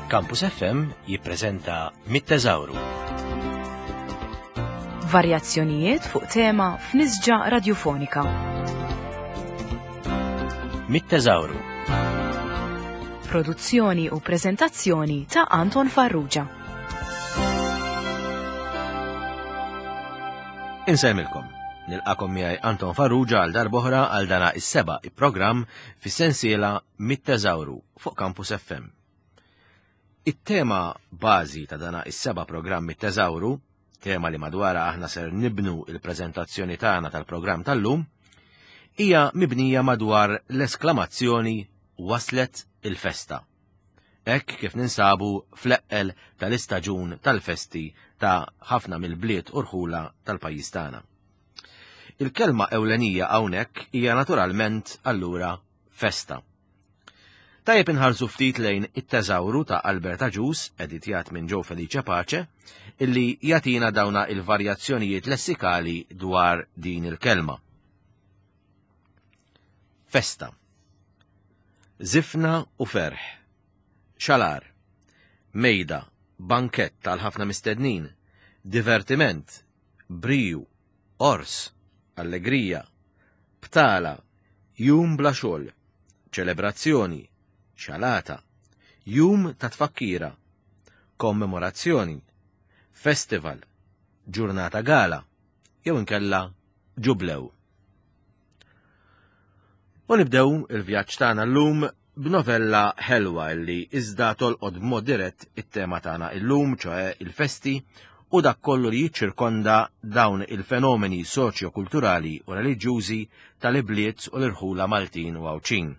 Campus FM jippreżenta Mit-Teżawru. Varjazzjonijiet fuq tema f'nisġa radjufonika. Mit-Teżawru. Produzzjoni u preżentazzjoni ta' Anton Farrugia. Insemmilkom. Nilqakom miegħi Anton Farrugia għal darboħra għal dana is-seba' programm fis-sensiela Mit-Teżawru fuq Campus FM. It-tema bażi ta' dana is-seba' programm Mit-Teżawru, tema li madwarha aħna ser nibnu il-preżentazzjoni tagħna tal-programm tal-lum, hija mibnija madwar l-esklamazzjoni waslet il-festa. Hekk kif ninsabu fl-eqqel tal-istaġun tal-festi ta' ħafna mill-bliet u rħula tal-pajjiż tagħna. Il-kelma ewlenija hawnhekk hija naturalment allura festa. Tajjeb inħarsu ftit lejn it-teżawru ta' Albert Agius, editjat minn Joe Felice Pace, illi jagħtina dawna il-varjazzjonijiet lessikali dwar din il-kelma. Festa. Żifna u ferħ. Xalar. Mejda, bankett għal ħafna mistednin, divertiment, briju, għors, allegrija, btala, jum bla xogħol, ċelebrazzjoni, xalata, jum ta' tfakkira, kommemorazzjoni, festival, ġurnata gala, jew inkella ġublew. U nibdew il-vjaġġ tagħna llum b'novella ħelwa li iżda tolqod b'mod dirett it-tema tagħna illum, ċoe il-festi u dak kollu li jiċċirkonda dawn il-fenomeni soċjo-kulturali u reliġjużi tal-ibliet u l-irħula Maltin u Għawdxin.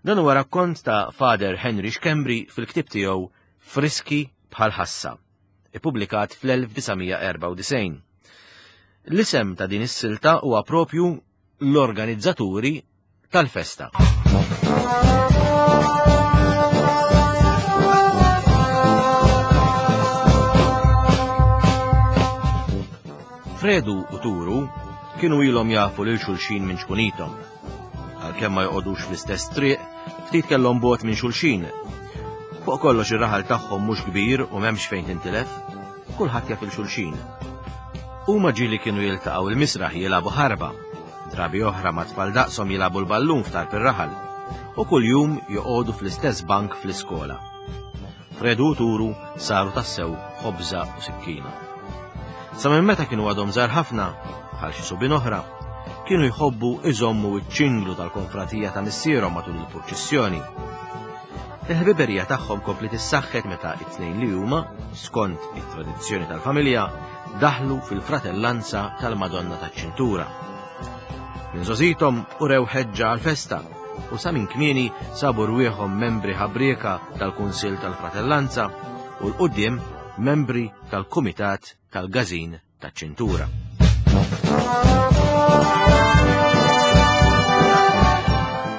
Dan huwa rakkont ta' Father Henry Schembri fil-ktieb tiegħu Friski bħal ħassa, ippubblikat fl-1994. L-isem ta' din is-silta huwa propju l-organizzaturi tal-festa. Fredu u Turu kienu ilhom jafu lil xulxin minn ċkunithom. Għalkemm ma joqogħdux fl-istess triq, ftit kellhom bogħod minn xulxin. Fuq kollox ir-raħal tagħhom mhux kbir u m'hemmx fejn tintilef, kulħadd jaf il xulxin. Huma ġieli kienu jiltaqgħu il-misraħ jilagħbu ħarba, Drabi oħra ma' tfal daqshom jilagħbu l-ballun f'tarf ir-raħal u kuljum joqogħdu fl-istess bank fl-iskola. Fredu u Turu saru tassew ħobża u sikkina. Sa minn meta kienu għadhom żgħar ħafna, bħal xi subien oħra, kienu jħobbu iżommu ċ-ċinglu tal-konfratija ta' missierhom matul il-purċissjoni. Il-ħbiberija tagħhom kompliet issaħħet meta it-tnejn li huma, skont it-tradizzjoni tal-familja, daħlu fil-fratellanza tal-Madonna taċ-Ċintura. Minn żgħożithom urew ħeġġa għall-festa u sa minn kmieni sabu rwieħhom membri ħabrieka tal-Kunsill tal-Fratellanza u 'l quddiem membri tal-Kumitat tal-Gażin taċ-Ċintura.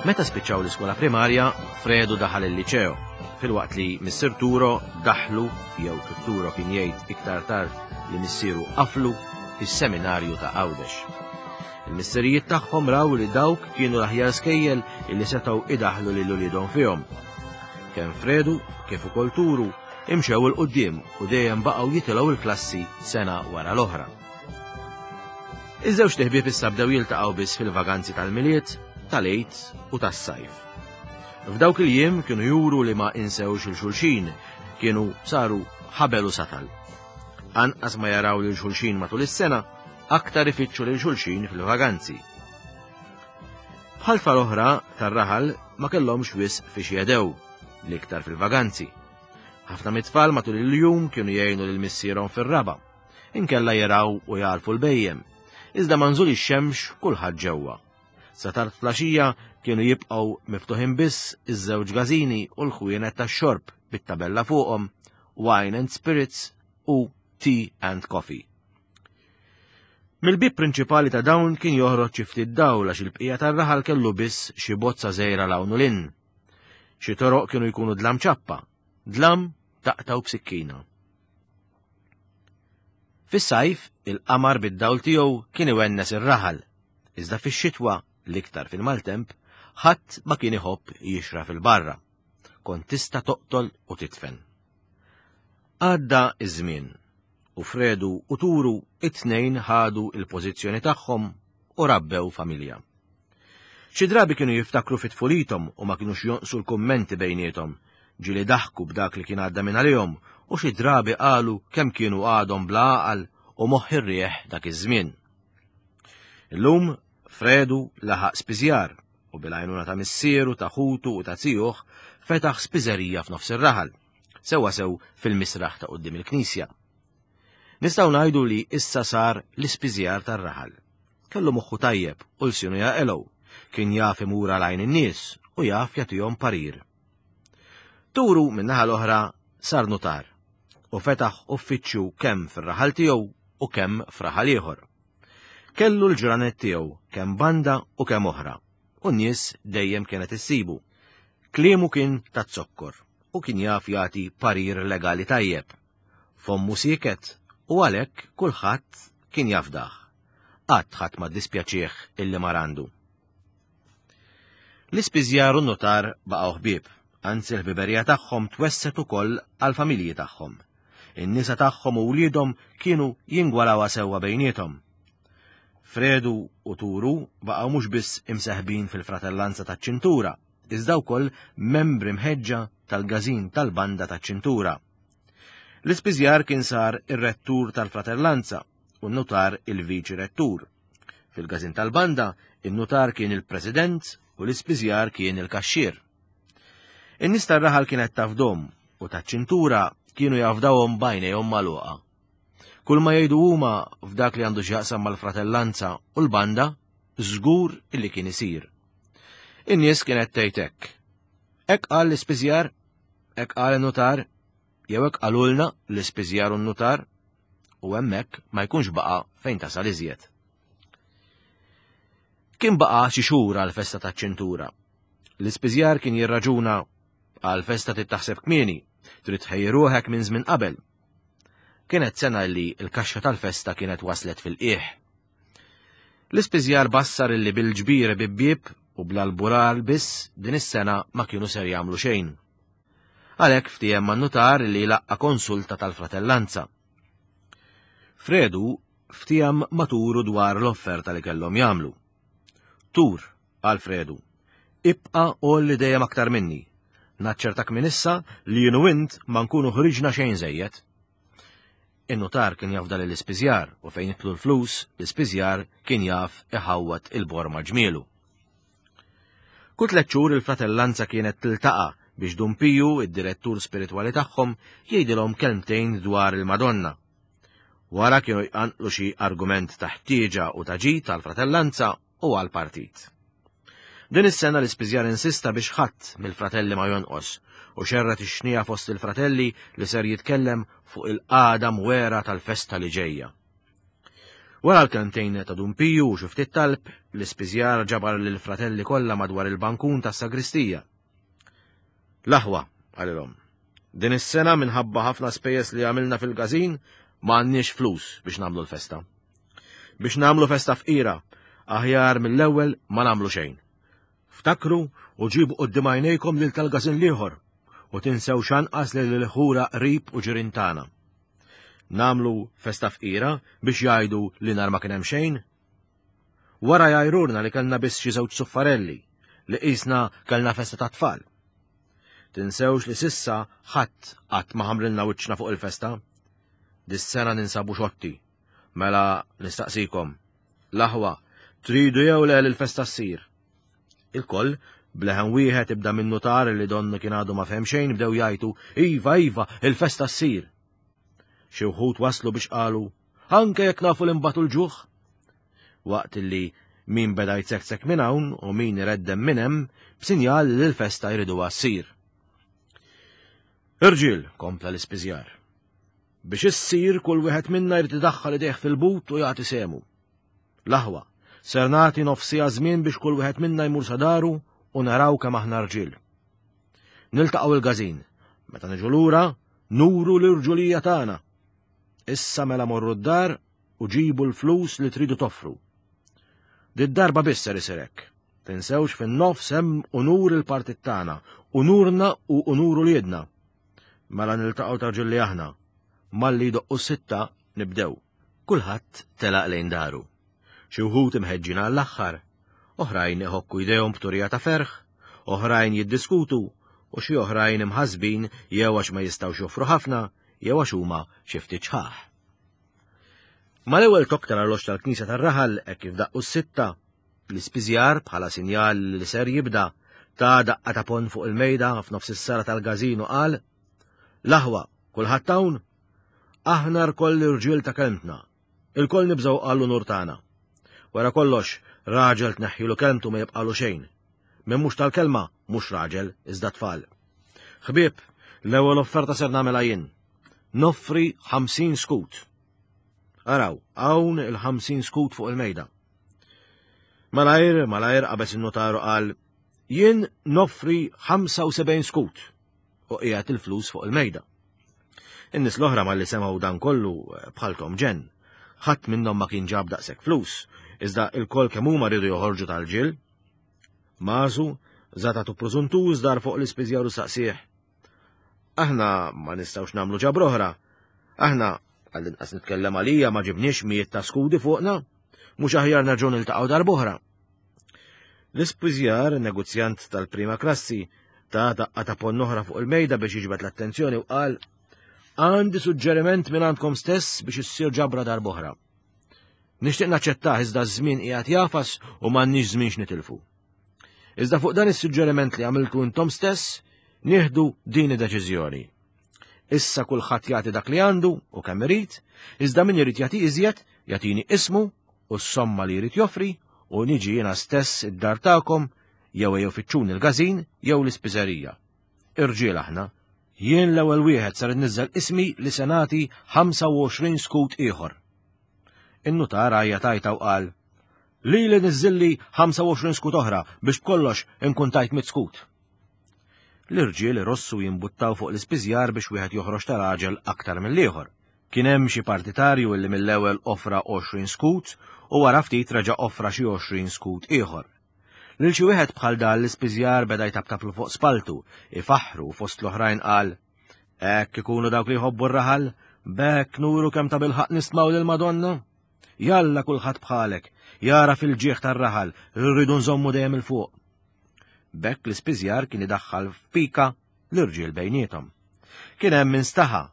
Meta spiċċaw l-iskola primarja, Fredu daħal il-liċeo, filwaqt li missier Turo daħlu, jew kif Turo kien jgħid iktar tard li missieru qaflu, fis-seminarju ta' Għawdex. Il-missirijiet tagħhom raw li dawk kienu l-aħjar skejjel illi setgħu idaħlu lil uliedhom fihom. Kemm Fredu kif ukoll Turu imxew 'il quddiem u dejjem baqgħu jitilgħu l-klassi sena wara l-oħra. Iż-żewġt iħbieb issa bdew jiltaqgħu biss fil-vaganzi tal-Milied, tal-Għid u tas-sajf. F'dawk il-jiem kienu juru li ma insewx il xulxin, kienu saru ħabel u satal. Anqas ma jaraw lil xulxin matul is-sena, aktar ifittxu lil xulxin fil-vaganzi. Bħal tfal oħra tar-raħal ma kellhomx wisq fiex jedew, l-iktar fil-vaganzi. Ħafna mit-tfal matul il-jum kienu jgħinu lil missierhom fir-raba'. Inkella jaraw u jagħlfu l-bhejjem. Iżda ma' nżul ix-xemx kulħadd ġewwa. Sa tard flaxija kienu jibqgħu miftuħin biss iż-żewġ gażini u l-ħwienet tax-xorb bit-tabella fuqhom Wine and Spirits u Tea and Coffee. Mill-bieb prinċipali ta' dawn kien joħroġ xi ftit dawl għax il-bqija tar-raħal kellu biss xi bozza żgħira 'l hawn u 'l hinn. Xi toroq kienu jkunu dlam ċappa, dlam taqtgħu b'sikkina. Fis-sajf, il-qamar bid-dawl tiegħu kien iwennes ir-raħal, iżda fix-xitwa, l-iktar fil-maltemp, ħadd ma kien iħobb jixraf 'il barra. kont tista' toqtol u titfen. Għadda iż-żmien u Fredu u Turu it-tnejn ħadu il-pożizzjoni tagħhom u rabbew familja. Xi drabi kienu jiftakru fi tfulithom u ma kinux jonqsu l-kummenti bejniethom, ġieli daħku b'dak li kien għadda minn għalihom u xi drabi qalu kemm kienu għadhom bla għaqal u moħħ ir-riħ dak iż-żmien. Illum Fredu laħaq spiżjar u bil-għajnuna ta' missieru, ta' ħutu u ta' zijuh fetaħ spiżerija f'nofs ir-raħal, sewwa sew fil-misraħ ta' quddiem il-knisja. Nistgħu ngħidu li issa sar l-ispiżjar tar-raħal. Kellu moħħu tajjeb u lsienu jaqilgħu, kien jaf imur għal għajn in-nies u jaf jagħtihom parir. Turu min-naħa l-oħra sar nutar u fetaħ uffiċċju kemm fir-raħal tiegħu u kemm f'raħal ieħor. Kellu l-ġranet tiegħu kemm banda u kemm oħra, u n-nies dejjem kienet issibu. Kliemu kien taz-zokkor u kien jaf jagħti parir legali tajjeb. Fommu sieket u għalhekk kulħadd kien jafdah. Qatt ħadd ma ddispjaċih illi mar għandu. L-ispiżjar u n-nutar baqgħu ħbieb, anzi l-ħbiberija tagħhom twesset ukoll għall-familji tagħhom. In-nisa tagħhom u wliedhom kienu jingwalawha sewwa bejniethom. Fredu u Turu baqgħu mhux biss imseħbin fil-fratellanza taċ-ċintura, iżda wkoll membri mħeġġa tal-gażin tal-banda taċ-ċintura. L-ispiżjar kien sar ir-rettur tal-fratellanza u n-nutar il-viċi rettur. Fil-gażin tal-banda, in-nutar kien il-president u l-ispiżjar kien il-kaxxier. In-nies tar-raħal kienet tafdhom u taċ-ċintura kienu jafdawhom b'għajnejhom magħluqa. Kull ma jgħidu huma f'dak li għandu x'jaqsam mal-fratellanza u l-banda, żgur illi kien isir. In-nies kienet tgħid hekk. Hekk qal l-ispiżjar, hekk qal in-nutar, jew hekk qalulna l-ispiżjar u n-nutar, u hemmhekk ma jkunx baqa' fejn tasal iżjed. Kien baqa' xi xhur għall-festa taċ-ċintura. L-ispiżjar kien jirraġuna għall-festa trid taħseb kmieni, trid tħejji ruħek minn żmien qabel. Kienet sena li l-kaxxa tal-festa kienet waslet fil-qiegħ. L-ispiżjar bassar illi bil-ġbir bibbieb u bl-albural biss din is-sena ma kienu ser jagħmlu xejn. Għalhekk ftiehem man-nutar li laqqa konsulta tal-fratellanza. Fredu ftiehem ma' Turu dwar l-offerta li kellhom jagħmlu. Tur, qal Fredu, ibqa' għolli dejjem aktar minni. Naċċertak minn issa li jien u int ma nkunu ħriġna xejn żejjed. In-nutar kien jafda lil ispiżjar u fejn jidħlu l-flus, l-ispiżjar kien jaf iħawwad il-borma ġmielu. Kull tliet xhur il-fratellanza kienet tiltaqa' biex Dun Piju, id-direttur spiritwali tagħhom, jgħidilhom kelmtejn dwar il-Madonna. Wara kienu jqanqlu xi argument ta' ħtieġa u ta' ġid għall-fratellanza u għall-partit. Din is-sena l-ispiżjar insista biex ħadd mill-fratelli ma jonqos u xerred ix-xniegħa fost il-fratelli li ser jitkellem fuq il-qagħda mwera tal-festa li ġejja. Wara l-kelmtejn ta' Dun Piju u xi ftit talb, l-ispiżjar ġabar lill-fratelli kollha madwar il-bankun tas-sagristija. L-aħwa, qalilhom, din is-sena minħabba ħafna spejjeż li għamilna fil-każin ma għandniex flus biex nagħmlu l-festa. Biex nagħmlu festa fqira, aħjar mill-ewwel ma nagħmlu xejn. Ftakru u ġibu quddiem għajnejkom lil tal-każin l-ieħor u tinsewx anqas lil il-ħura qrib u ġirien tagħna. Nagħmlu festa fqira biex jgħidu li nhar ma kien hemm xejn? Wara jgħajrurna li kellna biss xi żewġ suffarelli li qisna kellna festa ta' tfal. Tinsewx li sissa ħadd qatt ma ħamrilna wiċċna fuq il-festa. Dis-sena ninsabu xotti. Mela nistaqsikom, l-aħwa, tridu jew le li l-festa ssir? Il-koll, bleħen wieħed ibda minn nutar li donnu kien għadu ma fehem xejn bdew jgħajtu, Iva, iva, il-festa ssir. Xi wħud waslu biex qalu, anke jekk nafu li nbatu l-ġuħ. Waqt li min beda jtsektsek minn hawn u min ireddem minn hemm b'sinjal li l-festa jriduha ssir. Irġiel, kompla l-ispiżjar. Biex issir kull wieħed minna jrid idaħħal idejh fil-but u jagħti sehmu. L-aħwa, ser nagħti nofsija żmien biex kull wieħed minna jmur sa daru u naraw kemm aħna rġiel. Niltaqgħu il-każin. Meta niġu lura, nuru l-irġulija tagħna. Issa mela morru d-dar u ġibu l-flus li tridu toffru. Did-darba biss ser isir hekk. Tinsewx fin-nofs hemm unur il-partit tagħna, unurna u unur uliedna. Mela niltaqgħu ta' ġilli aħna. Malli jdoqqu s-sitta nibdew. Kulħadd telaq lejn daru. Xi wħud imħeġġin għall-aħħar, oħrajn iħokku jdejhom b'turija ta' ferħ, oħrajn jiddiskutu u xi oħrajn imħassbin jew għax ma jistgħux joffru ħafna jew għax huma xi ftit xħaħ. Mal-ewwel tokk tal-arloġġ tal-knisja tar-raħal hekk kif daqqu s-sitta, l-ispiżjar bħala sinjal li ser jibda ta' daqqa ta' pon fuq il-mejda f'nofs is-sala tal-gażin u qal, L-aħwa, kulħadd hawn? Aħna rkoll irġiel ta' kelmtna. Ilkoll nibżgħu għall-unur tagħna. Wara kollox, raġel tneħħilu kelmtu ma jibqalu xejn. Min mhux tal-kelma, mhux raġel, iżda tfal. Ħbieb, l-ewwel offerta ser nagħmilha jien. Noffri 50 skut. Araw, hawn il-50 skut fuq il-mejda. Malajr, malajr qabeż in-notaru qal, jien noffri 75 skut u qiegħed il-flus fuq il-mejda. In-nies l-oħra malli semgħu dan kollu bħalthom ġenn. Ħadd minnhom ma kien ġab daqshekk flus, iżda il-kol kemm huma riedu joħorġu tal-ġil. Mażu, żatatu prużuntuż dar fuq l-ispiżjar u saqsih. Aħna ma nistgħux nagħmlu ġabra oħra. Aħna, għall-inqas nitkellem għalija, ma ġibniex mijiet ta' skudi fuqna. Mhux aħjar nerġgħu niltaqgħu darb'oħra. L-ispiżjar, negozjant tal-prima klassi, ta' daqqa ta' ponn oħra fuq il-mejda biex jiġbed l-attenzjoni u qal Għandi suġġeriment minn għandkom stess biex issir ġabra darb'oħra. Nixtieq naċċettah iżda ż-żmien qiegħed jafas u m'għandniex żmien x'nitilfu. Iżda fuq dan is-suġġeriment li għamiltu intom stess, nieħdu din id-deċiżjoni. Issa kulħadd jagħti dak li għandu u kemm irid, iżda min irid jagħti iżjed, jagħtini ismu u s-somma li jrid joffri u niġi jiena stess id-dar tagħkom jew ejjew fittxuni l-gażin jew l-ispiżerija. Irġiel aħna, jien l-ewwel wieħed ser inniżżel ismi li se nagħti 25 skut ieħor. In-nutar għajjat għajta u qal, Lili niżżilli 25 skut oħra biex b'kollox inkun tajt mit skut. L-irġiel irossu jimbuttaw fuq l-ispiżjar biex wieħed joħroġ ta' raġel aktar mill-ieħor. Kien hemm xi partitarju illi mill-ewwel offra 20 skut u wara ftit reġa' offra xi 20 skut ieħor. Lil xi wieħed bħal dan l-ispiżjar beda jtaptaplu fuq spaltu, ifaħħru u fost l-oħrajn qal, Hekk ikunu dawk li jħobbu r-raħal, b'hekk nuru kemm tabilħaqq nistmaw lill-Madonna. Jalla kulħadd bħalek, jara fil-ġieħ tar-raħal li rridu nżommu dejjem 'il fuq. B'hekk l-ispiżjar kien idaħħal f'pika l-irġiel bejniethom. Kien hemm min staħa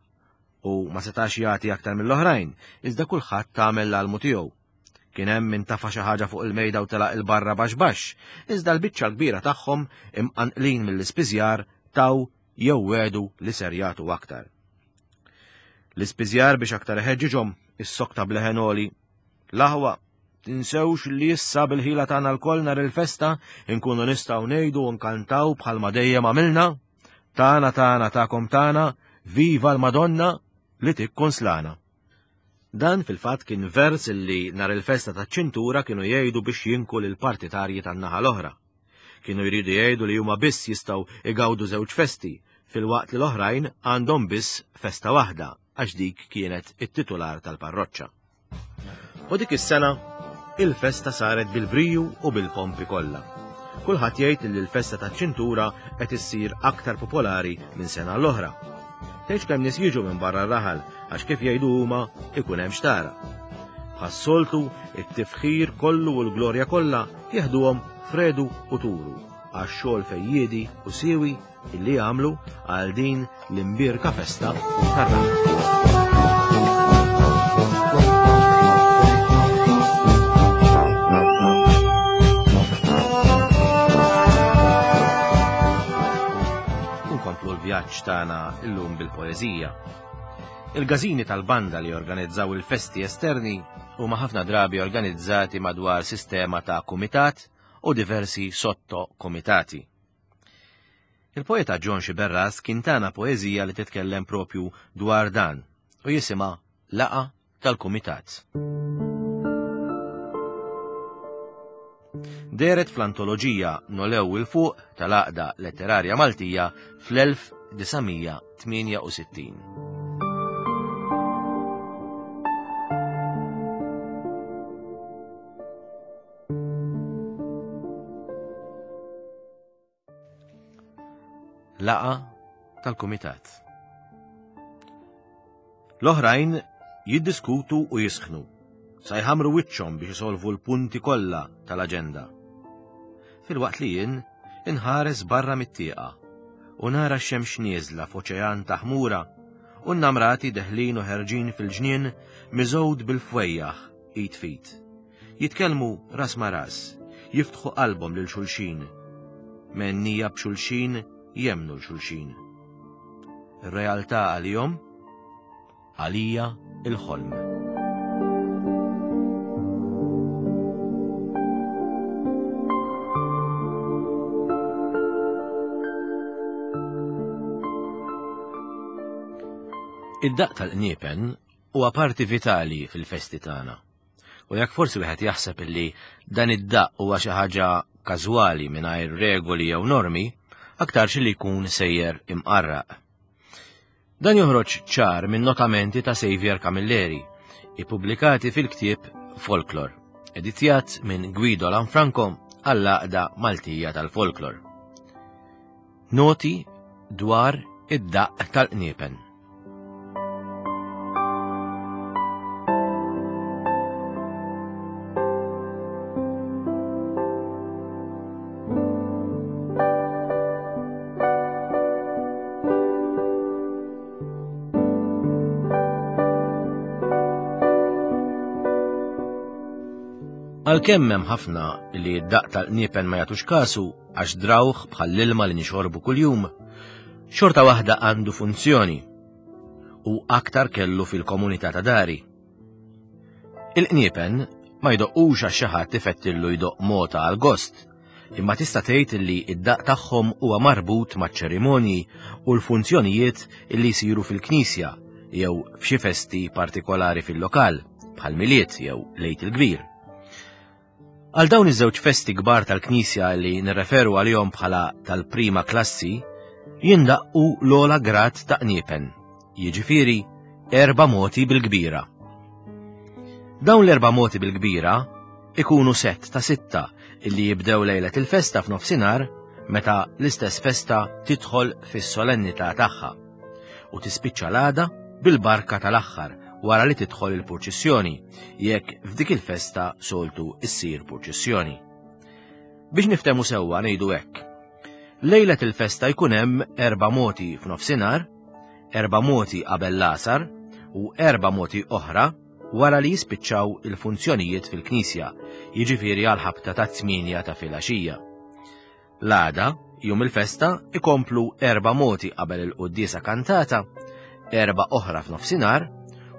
u ma setax jagħti aktar mill-oħrajn, iżda kulħadd għamel l-almu tiegħu. Kien hemm min tafa' xi ħaġa fuq il-mejda u telaq 'il barra baxx baxx, iżda l-biċċa l-kbira tagħhom, imqanqlin mill-ispiżjar, taw jew wegħdu li ser jagħtu aktar. L-ispiżjar biex aktar iħeġġiġhom issokta b'leħen għoli. L-aħwa, tinsewx li issa bil-ħila tagħna lkoll nhar il-festa nkunu nistgħu ngħidu u nkantaw bħalma dejjem għamilna, tagħna tagħna tagħkom tagħna, viva l-Madonna li tikkonslana. Dan fil-fatt kien vers li nhar il-festa taċ-ċintura kienu jgħidu biex jinku lill-partitarji tan-naħa l-oħra. Kienu jridu jgħidu li huma biss jistgħu igawdu żewġ festi, filwaqt li l-oħrajn għandhom biss festa waħda għax dik kienet it-titular tal-parroċċa. U dik is-sena, il-festa saret bil-briju u bil-pompi kollha. Kulħadd jgħid li l-festa taċ-ċintura qed issir aktar popolari minn sena l-oħra. Tgħidx kemm nies jiġu minn barra r-raħal għax kif jgħidu huma ikun hemm xtara. Bħas-soltu, it-tifħir kollu u l-glorja kollha jeħduhom Fredu u Turu għax-xogħol fejjiedi u siewi illi jagħmlu għal din l-imbierka festa tar-raħal. Nkomplu l-vjaġġ tagħna illum bil-poeżija. Il-gażini tal-banda li jorganizzaw il-festi esterni huma ħafna drabi organizzati madwar sistema ta' kumitat u diversi sotto-kumitati. Il-poeta John Sciberras kien tana poeżija li titkellem propju dwar dan u jisimha Laqgħa tal-Kumitat. Dehret fl-antoloġija Nolew 'il Fuq tal-Għaqda Letterarja Maltija fl-1968. Laqgħa tal-kumitat. L-oħrajn jiddiskutu u jisħnu, sa jħammru wiċċhom biex isolvu l-punti kollha tal-aġenda. Filwaqt li jien inħares barra mit-tieqa u nara x-xemx nieżla f'oċean ta' ħmura u n-namrati deħlin u ħerġin fil-ġnien miżgħud bil-fwejjaħ id f'id. Jitkellmu ras ma' ras, jiftħu qalbhom lil xulxin. Mennija b'xulxin jemmnu 'l xulxin. Ir-realtà għalihom, għalija il-ħolm. Id-daqq tal-qniepen huwa parti vitali fil-festi tagħna. U jekk forsi wieħed jaħseb illi dan id-daqq huwa xi ħaġa każwali mingħajr regoli jew normi, aktarx li jkun sejjer imqarraq. Dan joħroġ ċar minn notamenti ta' Xavier Camilleri, ippubblikati fil-ktieb Folklor, editjat minn Guido Lanfranco għall-Għaqda Maltija tal-Folklor. Noti dwar id-daqq tal-qniepen. Għalkemm hemm ħafna li d-daqq tal-qniepen ma jagħtux kasu għax drawh bħall-ilma li nixorbu kuljum, xorta waħda għandu funzjoni u aktar kellu fil-komunità ta' dari. Il-qniepen ma jdoqqux għax xi ħadd ifettillu jdoqq mota għal gost, imma tista' tgħid li id-daqq tagħhom huwa marbut maċ-ċerimonji u l-funzjonijiet li jsiru fil-knisja jew f'xi festi partikolari fil-lokal, bħal Milied jew l-Għid il-Kbir. Għal dawn iż-żewġ festi kbar tal-Knisja li nirreferu għalihom bħala tal-prima klassi, jindaqqu l-ogħla grad ta' qniepen, jiġifieri erba' moti bil-kbira. Dawn l-erba' moti bil-kbira ikunu sett ta' sitta illi jibdew lejlet il-festa f'nofsinhar meta l-istess festa tidħol fis-solennità tagħha u tispiċċa l-għada bil-barka tal-aħħar wara li tidħol il-purċissjoni, jekk f'dik il-festa soltu issir purċissjoni. Biex niftemu sewwa ngħidu hekk. Lejlet il-festa jkun hemm erba' moti f'nofsinhar, erba' moti qabel l-għasar u erba' moti oħra wara li jispiċċaw il-funzjonijiet fil-knisja, jiġifieri għal ħabta ta' tmienja ta' filgħaxija. L-għada, jum il-festa, ikomplu erba' moti qabel il-quddiesa kantata, erba' oħra f'nofsinhar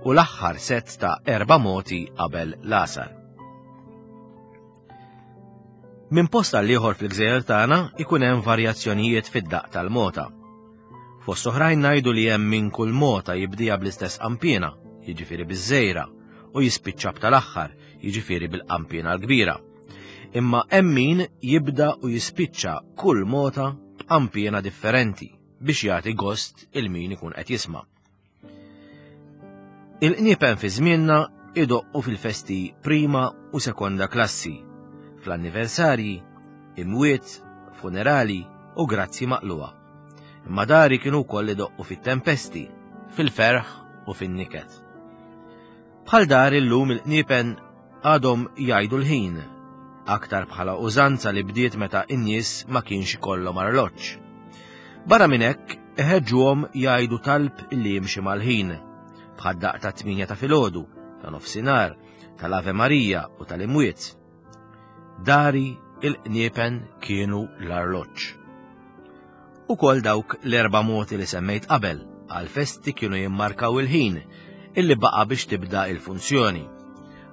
u l-aħħar sett ta' erba' moti qabel l-għasar. Minn post għal ieħor fil-gżejjer tagħna ikun hemm varjazzjonijiet fid-daqq tal-mota. Fost oħrajn ngħidu li hemm min kull mota jibdija bl-istess qampiena, jiġifieri biż-żejra, u jispiċċa b'tal-aħħar, jiġifieri bil-qampiena l-kbira. Imma hemm min jibda u jispiċċa kull mota b'qampiena differenti biex jagħti gost il min ikun qed jisma'. Il-qniepen fi żmienna idoqqu fil-festi prima u sekonda klassi, fl-anniversarji, imwiet, funerali u grazzi maqluha. Imma dari kienu wkoll idoqqu fit-tempesti, fil-ferħ u fin-niket. Bħal dar illum il-qniepen għadhom jgħidu l-ħin, aktar bħala użanza li bdiet meta n-nies ma kienx ikollhom arloġġ. Barra minn hekk, iħeġġuhom jgħidu talb li jimxi mal-ħin, bħad-daqq ta' tminja ta' filgħodu, ta' nofsinhar, tal-Ave Marija u tal-Imwiet. Dari il-qniepen kienu l-arloġġ. Ukoll dawk l-erba' moti li semmejt qabel għall-festi kienu jimmarkaw il-ħin illi baqa' biex tibda il-funzjoni.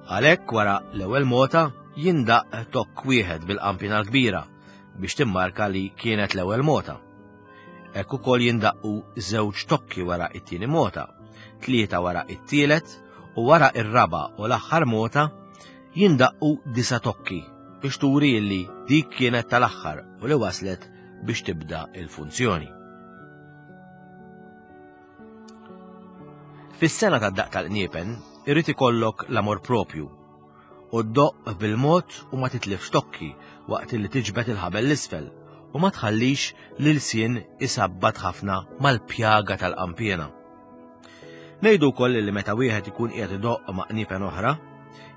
Għalhekk wara l-ewwel mota jindaqq tokk wieħed bil-qampina l-kbira biex timmarka li kienet l-ewwel mota. Hekk ukoll jindaqqu żewġ tokki wara it-tieni mota, tlieta wara it-tielet u wara ir-raba' u l-aħħar mota jindaqqu disa' tokki biex turi illi dik kienet tal-aħħar u li waslet biex tibda il-funzjoni. Fis-sena tad-daqq tal-qniepen irid ikollok l-amor propju u ddoqq bil-mod u ma titlifx tokki waqt li tiġbed il-ħabel l-isfel u ma tħallix l-ilsien isabbat ħafna mal-pjaga tal-qampiena. Ngħidu wkoll li meta wieħed ikun qiegħed idoqq ma' qniepen oħra,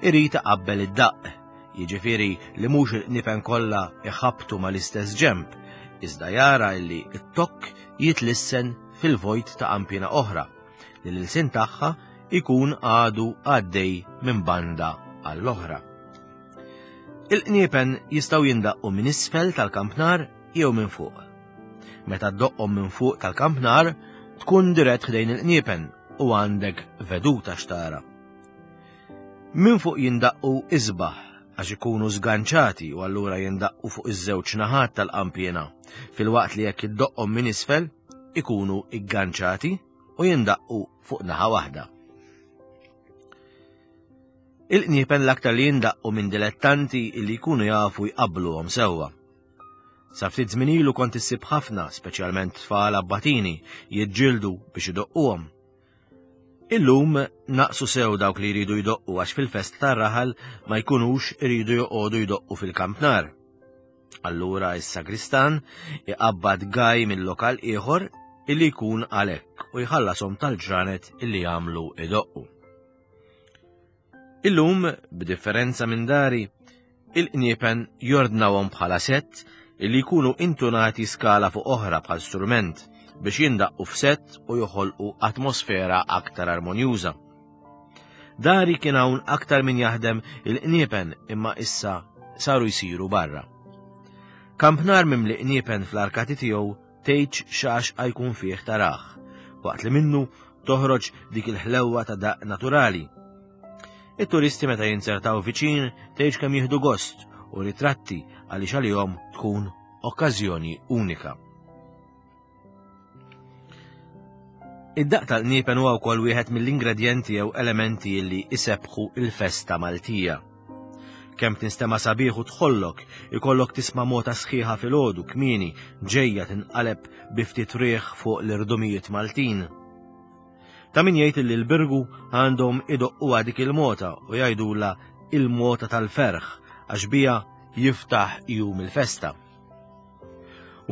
irid iqabbel id-daqq, jiġifieri li mhux il-qniepen kollha iħabbtu mal-istess ġenb, iżda jara illi t-tokk jitlissen fil-vojt ta' qampiena oħra, li l-ilsien tagħha ikun għadu għaddej minn banda għall-oħra. Il-qniepen jistgħu jindaqqu minn isfel tal-kampnar jew minn fuq. Meta ddoqqhom minn fuq tal-kampnar, tkun dirett ħdejn il-qniepen u għandek veduta x'tara. Minn fuq jindaqqu isbaħ għax ikunu żganċati u allura jindaqqu fuq iż-żewġ naħat tal-qampiena, filwaqt li jekk iddoqqhom minn isfel ikunu igganċati u jindaqqu fuq naħa waħda. Il-qniepen l-aktar li jindaqqu minn dilettanti li jkunu jafu jqabbluhom sewwa. Sa ftit żmien ilu kont issib ħafna, speċjalment tfal abbatini, jiġġieldu biex idoqquhom. Illum naqsu sew dawk li jridu jdoqqu għax fil-festa tar-raħal ma jkunux iridu joqogħdu jdoqqu fil-kampnar. Allura is-sagristan iqabbad gaj mill-lokal ieħor illi jkun għalhekk u jħallashom tal-ġranet illi jagħmlu idoqqu. Illum, b'differenza minn dari, il-qniepen jordnawhom bħala sett illi jkunu intunati skala fuq oħra bħal strument biex jindaqqu f'sett u joħolqu atmosfera aktar armonjuża. Dari kien hawn aktar min jaħdem il-qniepen imma issa saru jsiru barra. Kampnar mimli qniepen fl-arkati tiegħu tgħidx x'għaxqa jkun fih tarah, waqt li minnu toħroġ dik il-ħlewwa ta' daqq naturali. It-turisti meta jinzertaw viċin tgħidx kemm jieħdu gost u ritratti għaliex għalihom tkun okkażjoni unika. Id-daqq tal-qniepen huwa wkoll wieħed mill-ingredjenti jew elementi li isebbħu il-festa Maltija. Kemm tinstema' sabiħ u tħollok, ikollok tisma' mota sħiħa filgħodu kmieni ġejja tinqaleb bi ftit riħ fuq l-irdumijiet Maltin. Ta' min jgħid li l-Birgu għandhom idoqquha dik il-mota u jgħidulha il-mota tal-ferħ għax biha jiftaħ jum il-festa.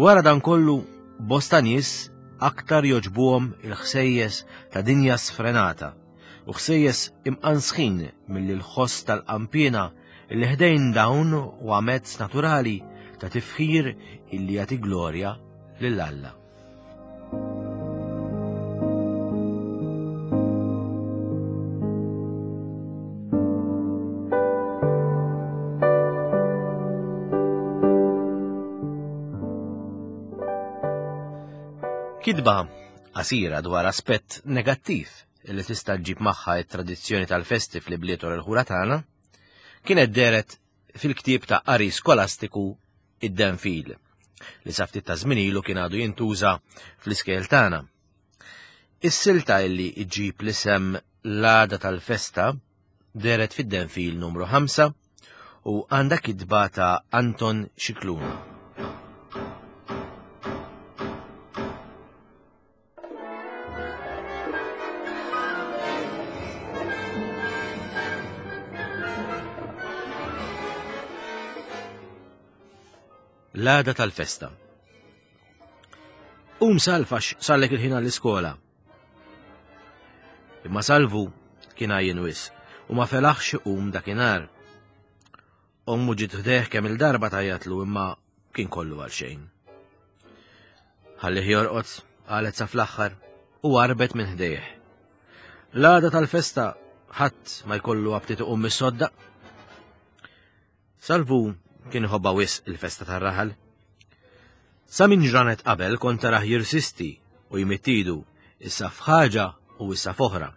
Wara dan kollu, bosta nies aktar jogħġbuhom il-ħsejjes ta' dinja sfrenata u ħsejjes imqansħin milli l-ħoss tal-qanpiena li ħdejn dawn huwa mezz naturali ta' tifħir illi jagħti glorja lil Alla. Kitba qasira dwar aspett negattiv li tista' ġġib magħha t-tradizzjoni tal-festi fl-ibliet u l-ħura tagħna kienet dehret fil-ktieb ta' qari skolastiku id-Denfil li sa ftit ta' żmien ilu kien għadu jintuża fl-iskejjel tagħna. Is-silta illi ġġib l-isem l-għada tal-festa dehret fid-Denfil numru 5 u għandha kitba ta' Anton Scicluna. L-għada tal-festa. Um salfax sallek il-ħin għall-iskola. Imma salvu kien għajjen wis u ma felaħx iqum dakinhar. Ommu ġiet ħdejh kemm il-darba tajjatlu imma kien kollu għal xejn. Ħallih jorqod, qalet sa fl-aħħar, u għarbet minn ħdejh. L-għada tal-festa ħadd ma jkollu aptit iqum mis-sodda. Salvu kien iħobbha wisq il-festa tar-raħal. Sa minn ġranet qabel kont tarah jirsisti u jmidd idu issa f'ħaġa u issa f'oħra.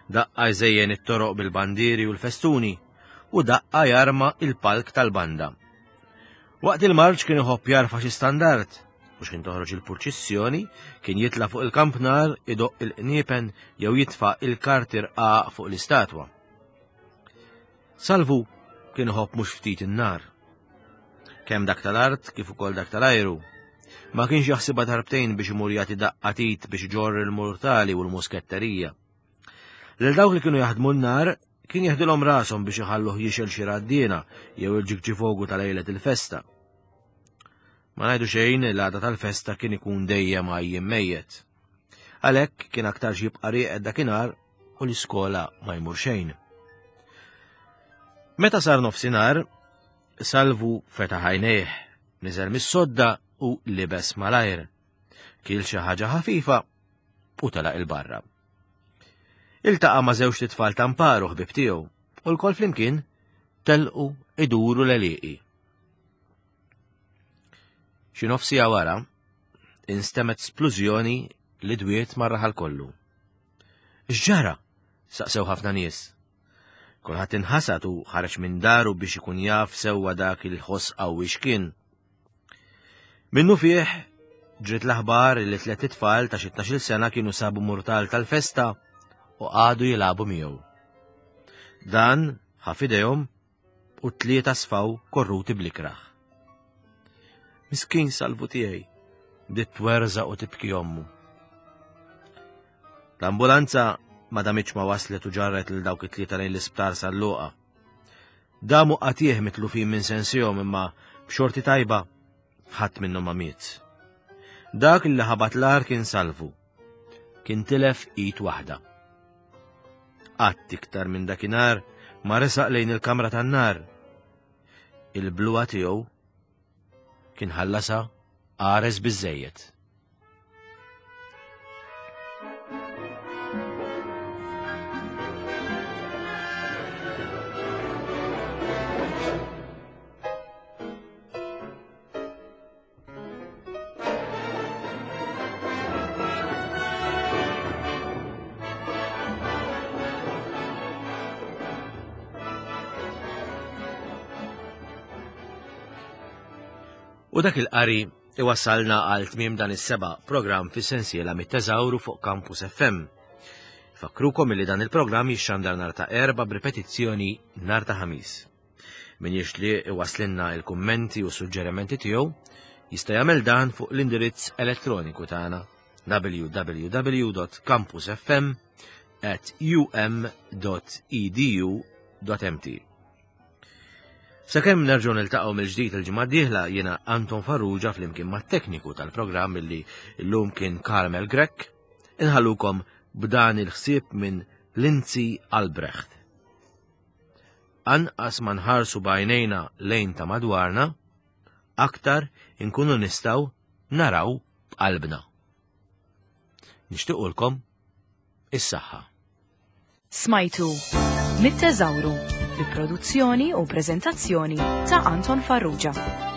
Daqqa jżejjen it-toroq bil-bandieri u l-festuni u daqqa jarma il-palk tal-banda. Waqt il-marċ kien iħobb jarfa' xi standard u x'kien toħroġ il-purċissjoni kien jitla' fuq il-kampnar idoqq il-qniepen jew jitfa' il-karti rqaq fuq l-istatwa. Salvu kien iħobb mhux ftit in-nar. Kemm dak tal-art kif ukoll dak tal-ajru. Ma kienx jaħsibha darbtejn biex imur jagħti daqqa t'id biex iġorr il-murtali u l-musketterija. Lil dawk li kienu jaħdmu n-nar kien jeħdilhom rashom biex iħalluh jixel xi raddiena jew il-ġigġifogu ta' lejlet il-festa. Ma ngħidu xejn l-għada tal-festa kien ikun dejjem għajjien mejjet. Għalhekk kien aktarx jibqa' rieqed dakinhar u l-iskola ma jmur xejn. Meta sar nofsinhar, Salvu fetaħ għajnejh, niżel mis-sodda u libes malajr. Kil xi ħaġa ħafifa u telaq il-barra. Iltaqa' ma' żewġt itfal ta' mparu ħbieb tiegħu u lkoll flimkien telqu iduru l-għelieqi. Xi nofsija wara, instemgħet splużjoni li dwiet mar-raħal kollu. X'ġara? saqsew ħafna nies. Kulħadd inħasad u ħareġ minn daru biex ikun jaf sewwa dak il-ħoss qawwi x'kien. Minnu fih, ġriet l-aħbar li tlett itfal ta' xi tnax-il sena kienu sabu murtal tal-festa u qagħdu jilagħbu miegħu. Dan ħa f'idejhom u t-tlieta sfaw korruti bl-ikrah. Miskin salvu tiegħi, bdiet twerżaq u tibki ommu. L-ambulanza ma damitx ma waslet u ġarret lil dawk it-tlieta lejn l-isptar San Luqa. Damu qatih mitlufin minn sensihom imma b'xorti tajba ħadd minnhom ma miet. Dak li ħabat l-ar kien Salvu. Kien tilef id waħda. Qatt iktar minn dakinhar ma resaq lejn il-kamra tan-nar. Il-bluha tiegħu kien ħallasha qares biżżejjed. U dak il-qari iwassalna għal tmiem dan is-seba' programm fis-sensiela mit-teżawru fuq Campus FM. Fakkrukom li dan il-programm jixxandar nhar ta' Erbgħa b'ripetizzjoni nhar ta' Ħamis. Min jixtieq iwasslilna l-kummenti u suġġerimenti tiegħu jista' jagħmel dan fuq l-indirizz elettroniku tagħna www.campusfm@um.edu.mt. Sakemm nerġgħu niltaqgħu mill-ġdid il-ġimgħa d-dieħla jiena Anton Farrugia flimkien mat-tekniku tal-programm illi llum kien Carmel Grech, inħallukom b'dan il-ħsieb minn Lindsay Albrecht. Anqas ma nħarsu b'għajnejna lejn ta' madwarna, aktar inkunu nistgħu naraw b'qalbna. Nixtiequlkom is-saħħa. Smajtu Mit-Teżawru bi produzzjoni u preżentazzjoni ta' Anton Farrugia.